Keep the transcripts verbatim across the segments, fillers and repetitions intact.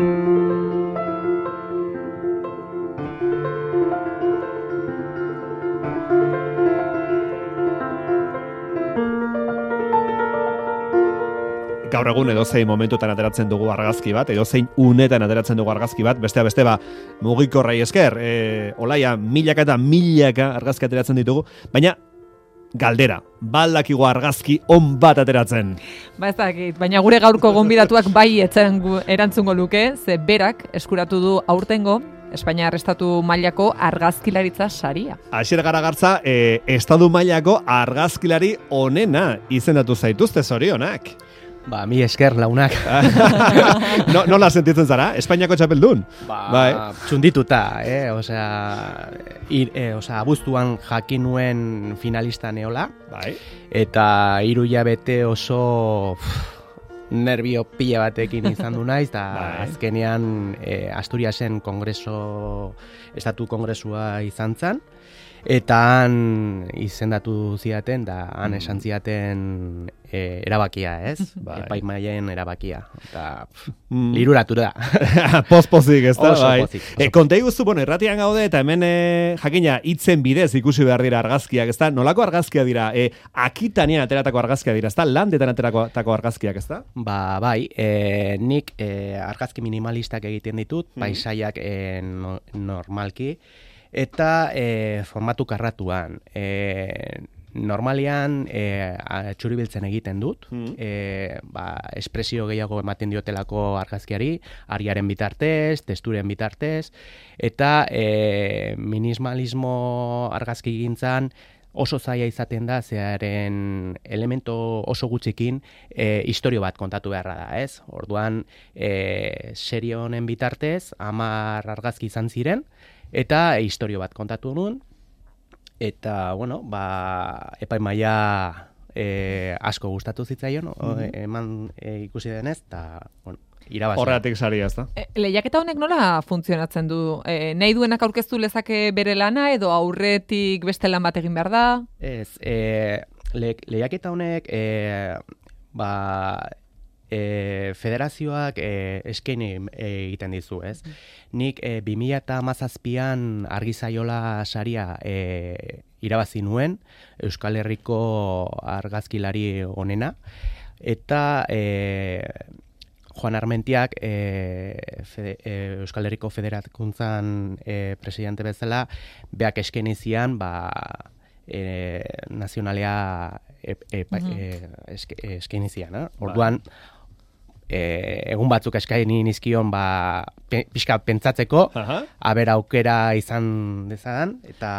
Gaur egun edozein momentutan ateratzen dugu argazki bat, edozein unetan ateratzen dugu argazki bat, bestea beste ba mugikorrei esker, e, olaia milaka eta milaka argazki ateratzen ditugu, baina galdera, baldakigu argazki on bat ateratzen. Ba ez dakit, baina gure gaurko gonbidatuak bai etzen erantzungo luke, ze berak eskuratu du aurtengo Espainia Estatu mailako argazkilaritza saria. Asier Garagartza, e, estadu mailako argazkilari onena izendatu zaituzte, zorionak. Ba, mi esker launak. no, nola sentitzen zara? Espainiako txapeldun? Ba, bai. Txundituta, eh? Osea, ir, eh, osea, abuztuan jakin nuen finalista neola. Bai. Eta hiru hilabete oso pff, nervio pila batekin izan du naiz, eta bai. Azkenean eh, Asturiasen kongreso, estatu kongresua izan zen. Eta han izendatu zidaten, da han esan zidaten e, erabakia, ez? Bai. Epaimaien erabakia. Eta mm. liruratu da. Poz-pozik, ez da? Oso bai. pozik. E, konta iguzu, bueno, erratian gaude, eta hemen e, jakina hitzen bidez ikusi behar dira argazkiak, ez da? Nolako argazkia dira? E, akitanian ateratako argazkia dira, ez da? Landetan ateratako argazkiak, ez da? Ba, bai, e, nik e, argazki minimalistak egiten ditut, mm. paisaiak e, no, normalki, eta e, formatu karratuan. E, normalian e, txuribiltzen egiten dut, mm. e, ba, espresio gehiago ematen diotelako argazkiari, ariaren bitartez, testuren bitartez, eta e, minimalismo argazki gintzan oso zaila izaten da, zearen elemento oso gutxikin e, historio bat kontatu beharra da, ez? Orduan, e, serie honen bitartez, hamar argazki izan ziren, eta historio bat kontatu nuen, eta, bueno, ba, epaimaia e, asko gustatu zitzaion, mm-hmm. eman e, ikusi denez, eta, bueno, irabazi. Horregatik saria, ez da? E, lehiaketa honek nola funtzionatzen du? E, nahi duenak aurkeztu lezake bere lana, edo aurretik beste lan bat egin behar da? Ez, e, le, lehiaketa honek, e, ba, E, federazioak e, eskaini egiten dizu, ez? Nik e, bi mila hamazazpian argizaiola saria e, irabazi nuen, Euskal Herriko argazkilari onena, eta e, Juan Armentiak e, fede, e, Euskal Herriko Federakuntzan e, presidente bezala, beak eskaini zian, ba, e, nazionalea e, e, uh-huh. e, eske, eskaini zian, eh? Orduan, E, egun batzuk eskaini nizkion ba, pe, pixka pentsatzeko, uh-huh. aber aukera izan dezadan, eta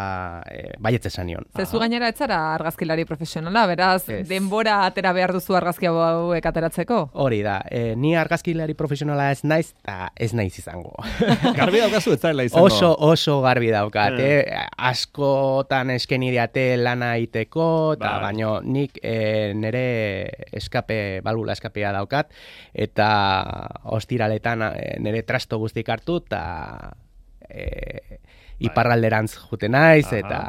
e, baietz esan nion. Zezu gainera etzara argazkilari profesionala, beraz, ez. Denbora atera behar duzu argazki hauek ateratzeko? Hori da, e, ni argazkilari profesionala ez naiz, eta ez naiz izango. Garbi daukazu ez zaila izango? Oso, oso garbi daukat, mm. eh? Askotan eskeni diate lana iteko, eta ba. Baino nik e, nire eskape, balbula eskapea daukat, eta ostiraletan nire trasto guztik hartu, eta e, iparralderantz jute naiz, aha. Eta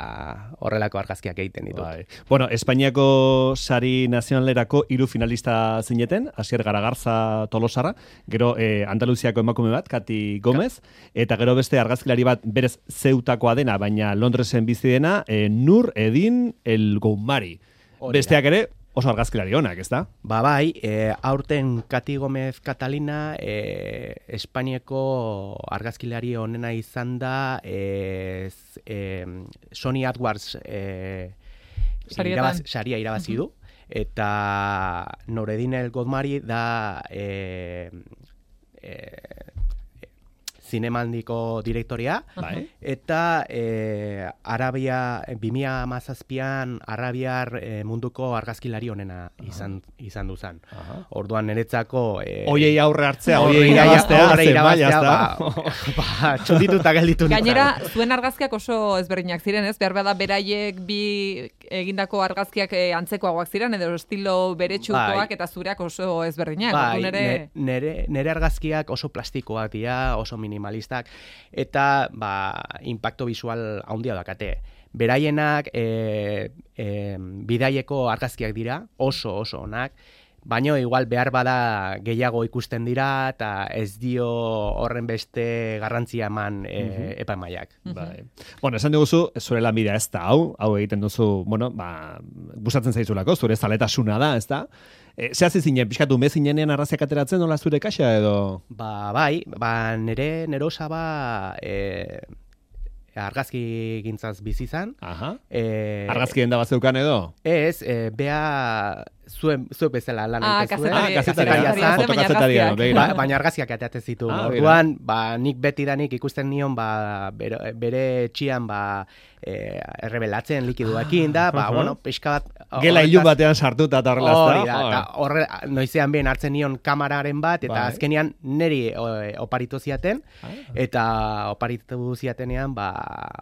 horrelako argazkiak egiten ditut. Bai. Bueno, Espainiako sari nazionalerako hiru finalista zineten, Asier Garagartza Tolosarra, gero eh, Andaluziako emakume bat, Kati Gomez, eta gero beste argazkilari bat berez zeutakoa dena, baina Londresen bizi dena, eh, Nur Edin El Goumari. Besteak ere, oso argazkilari onak, ez da? Ba bai, e, aurten Kati Gomez Catalina e, Espainiako argazkilari onena izan da e, e, Sony AdWords e, irabaz, saria irabazi du, uh-huh. Eta Noredin El Goumari da e, e, zinemaldiko direktoria, uh-huh. Eta e, Arabia, bi mila hamazazpian Arabiar e, munduko argazkilari onena izan, uh-huh. izan duzan. Uh-huh. Orduan niretzako... E, oiei aurre hartzea, oiei irabaztea, aurre irabaztea, ba, ba, txundituta gelditu nintzen. Gainera, zuen argazkiak oso ezberdinak ziren, ez? Behar bada beraiek bi egindako argazkiak e, antzekoagoak ziren, edo estilo beretsukoak, bai. Eta zureak oso ezberdinak. Bai, nere... nere, nere argazkiak oso plastikoak dira, oso minimalistak, eta ba, impacto visual handia dakate. Beraienak e, e, bidaieko argazkiak dira, oso oso onak, baino igual behar bada gehiago ikusten dira eta ez dio horren beste garrantzia eman e, Mhm. epaimahaiak. Bai. Bueno, esan diguzu, zure lanbidea ez da hau, hau egiten duzu, bueno, ba, gustatzen zaizulako, zure zaletasuna da, ez da? E, Zehaz zinen, pixkatu mezinenean arraziak ateratzen, nola zure kaxa edo? Ba, bai, ba, nere, nere osaba e, argazki gintzaz bizi izan. Aha. E, Argazkien da bat zeukan edo? Ez, e, bea zuen, zuek bezala lan Ah, egiten zuen. Ah, kazetari- kazetaria, kazetaria zen, baina fotokazetaria, argazkiak. begira. Ba, baina argazkiak ateatzen zitu. Ah, Orduan, ba, nik betidanik ikusten nion ba, bere, bere txian ba, e, errebelatzen likiduakin da, ba, Aha. bueno, pixka bat... Gela horretaz- ilun batean sartuta eta horrela, Hori ez da, da? eta horre, noizean bien hartzen nion kamararen bat, eta Bai. azkenean neri o, oparitu ziaten, Ah. eta oparitu ziatenean, ba,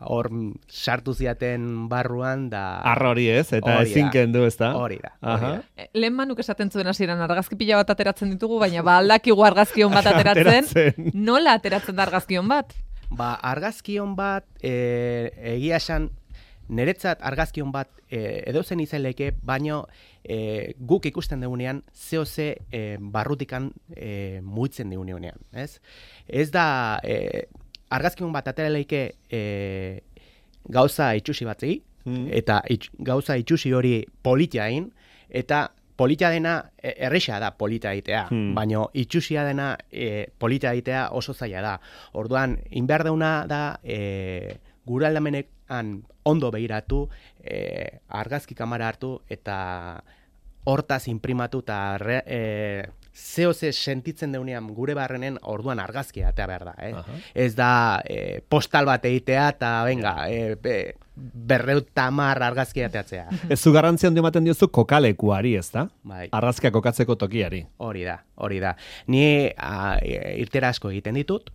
hor sartu ziaten barruan, da... Arra hori ez, eta Hori da. ezin kendu, ez da? Hori da, hori Aha. da. E, Lehen manuk esaten zuen hasieran argazki pila bat ateratzen ditugu, baina ba aldakigu argazkion bat ateratzen. Ateratzen. Nola ateratzen da argazkion bat? Ba, argazkion bat, e, egia esan, niretzat argazkion bat e, edozen izaileke, baino e, guk ikusten dugunean, zeo ze e, barrutikan e, muitzen dugunean, ez? Ez da, e, argazkion bat ateraleike e, gauza itxusi batzei, Mm. eta itx, gauza itxusi hori politia egin, eta polita dena, e, erresa da polita egitea, Hmm. baino itxusia dena e, polita egitea oso zaila da. Orduan, inbehar dauna da, e, gure aldamenean ondo behiratu, e, argazki kamera hartu, eta hortaz imprimatu, eta re, e, zeo ze sentitzen deunean gure barrenen orduan argazkia atea behar da. Eh? Aha. Ez da e, postal bat egitea, eta venga, e, be, berreuta hamar argazkia ateatzea. Ez zu garrantzia handi ematen diozu kokalekuari, ez da? Bai. Argazkia kokatzeko tokiari. Hori da, hori da. Ni a, e, irtera asko egiten ditut,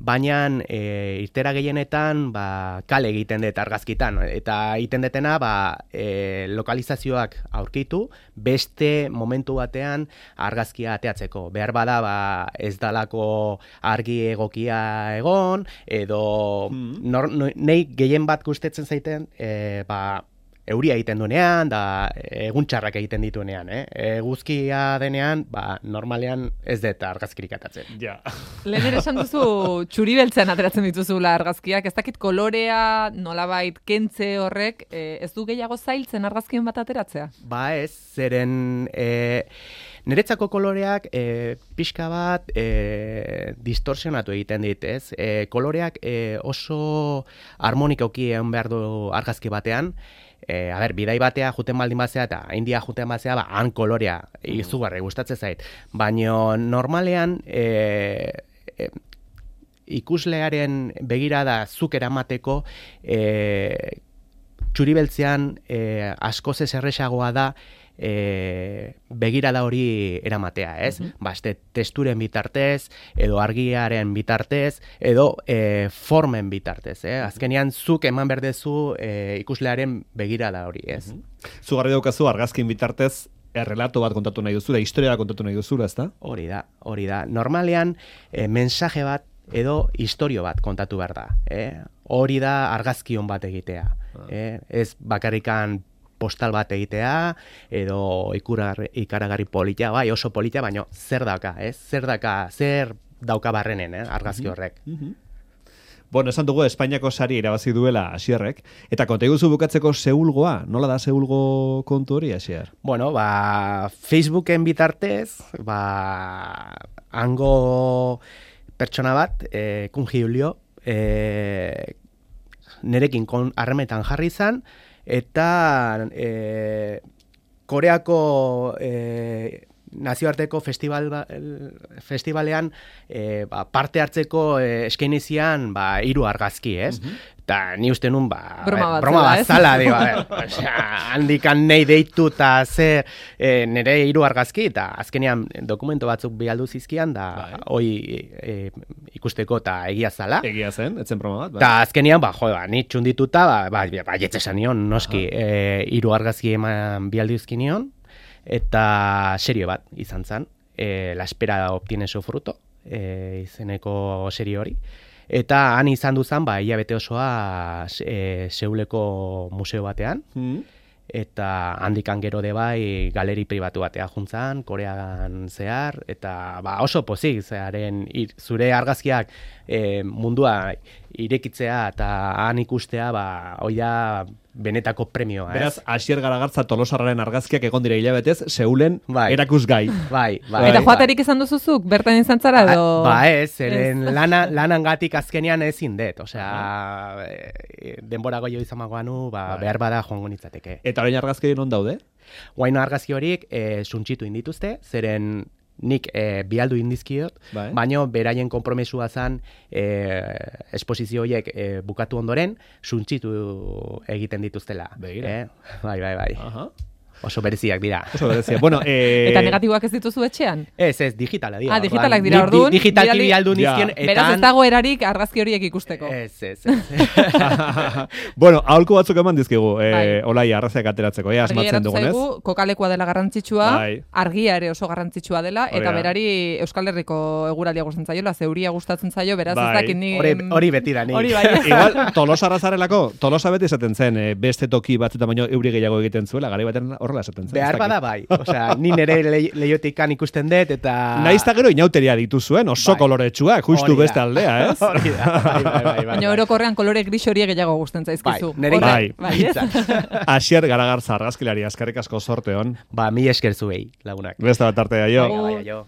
baina e, irtera gehienetan ba, kale egiten dut argazkitan. Eta egiten detena ba, e, lokalizazioak aurkitu, beste momentu batean argazkia ateatzeko. Behar bada ba, ez dalako argi egokia egon, edo Mm. nor, no, nei gehien bat gustetzen zaiten, e, ba, euria egiten duenean, da egun txarrak egiten dituenean, eh? Eguzkia denean, ba, normalean ez dut argazkirik atatzen. Ja. Lehen ere esan duzu txuri beltzean ateratzen dituzula argazkiak, ez dakit kolorea, nolabait kentze horrek, e, ez du gehiago zailtzen argazkion bat ateratzea? Ba ez, zeren e, niretzako koloreak e, pixka bat e, distorsionatu egiten dit, ez? E, koloreak e, oso harmonikoki egon behar du argazki batean, E, a ber, bidai batea juten baldin bazea eta India juten bazea, ba, han kolorea izugarri gustatzen zait. Baina normalean e, e, ikuslearen begirada zuk eramateko e, txuribeltzean e, askoz ez erresagoa da e, begirada hori eramatea, ez? Mhm. Ba, este testuren bitartez, edo argiaren bitartez, edo e, formen bitartez, eh? Azkenean zuk eman berdezu e, ikuslearen begirada hori, ez? Zugarri daukazu argazkin bitartez errelato bat kontatu nahi duzula, historia bat kontatu nahi duzula, ez da? Hori da, hori da. Normalean, e, mensaje bat edo historio bat kontatu behar da. Eh? Hori da argazkion bat egitea. Eh? Ez bakarrikan postal bat egitea, edo ikuragarri, ikaragarri polita, bai oso polita, baina zer dauka, ez? Zer dauka, zer dauka barrenen, eh? argazki horrek. Bueno, esan dugu Espainiako sari irabazi duela Asierrek, eta konta iguzu bukatzeko Seulgoa, nola da Seulgo kontu hori, Asier? Bueno, ba, Facebooken bitartez, ba, hango pertsona bat, eh, Kun Julio, eh, nerekin kon harremetan jarri izan, eta eh, Koreako eh, nazioarteko festival ba, festivalean eh, ba, parte hartzeko eh, eskainizian ba, hiru argazki, ez? Eta ni uste nun, ba, Broma bat broma zela, bat ez? zala, digo, a ver, osea, handikan nahi deitu eta zer e, nire hiru argazki, eta azkenean dokumento batzuk bialdu zizkian, da Bai. hoi e, ikusteko eta egia zala. Egia zen, etzen broma bat, bai. Eta azkenean, ba, jo, ba, ni txundituta, ba, ba, ba jetzesan nion, noski, e, hiru argazki eman bialdu izkinion, eta serio bat izan zen, e, La espera obtiene su fruto, e, izeneko serio hori. Eta han izan duzan, ba, hilabete osoa e, Seuleko museo batean, Mm. eta handikan gero de bai galeri pribatu batea juntzan, Korean zehar, eta ba, oso pozik, zearen ir, zure argazkiak e, mundua irekitzea eta han ikustea, ba, hoi da benetako premioa. Beraz, ez? Asier Garagartza Tolosarraren argazkiak egon dira hilabetez, Seulen bai. erakusgai. Bai, bai. Eta bai. joaterik izan duzuzuk, bertan izan zara edo... Ba ez, eren lana, lanangatik azkenean ezin dut, osea, e, denbora goio izan magoanu, ba, behar bada joango nitzateke. Eta orain argazki non daude? Guain argazki horiek e, suntxitu indituzte, zeren nik e, bialdu indizkiot, bai. baino beraien konpromesua zan e, esposizio horiek e, bukatu ondoren suntxitu egiten dituztela. Begira. Eh? Bai, bai, bai. Aha. Oso bereziak dira. Oso berezia. Bueno, eh... Eta negatiboak ez dituzu etxean? Ez, ez, digitala dira. Ah, digitalak Orduan, dira, di- orduan, di- Digitalki bidali- bialdu Ja. nizkien, eta... Beraz ez dago erarik argazki horiek ikusteko. Ez, ez, ez. bueno, aholku batzuk eman dizkigu, eh, Bai. olai arraziak ateratzeko, eh, Argi asmatzen geratu dugunez. zaigu, kokalekua dela garrantzitsua, Bai. argia ere oso garrantzitsua dela, Hori eta da. berari Euskal Herriko eguraldia gustatzen zaiola, zeuria gustatzen zaio, beraz Bai. ez dakit ni... Hori, hori beti da, nik. Hori bai. Igual, Tolosarra zarelako, Tolosa beti esaten zen, eh, beste toki batzutan baino euri gehiago egiten zuela, garai baten horrela esaten zen. Behar ez dakit. bada bai. Osea, ni nere le, leiotikan ikusten dut, eta... Naiz eta gero inauteria dituzuen, oso Bai. koloretsuak, justu Hori da. beste aldea, ez? Hori da, bai, bai, bai, bai. Baina orokorrean kolore gris horiek gehiago gustatzen zaizkizu. Bai, nire Horre- bai. bai, ez? Asier Garagartza argazkilari, eskerrik asko sorte hon. Ba, mi esker zuei, lagunak. Beste bat arte da jo. Venga, bai, jo.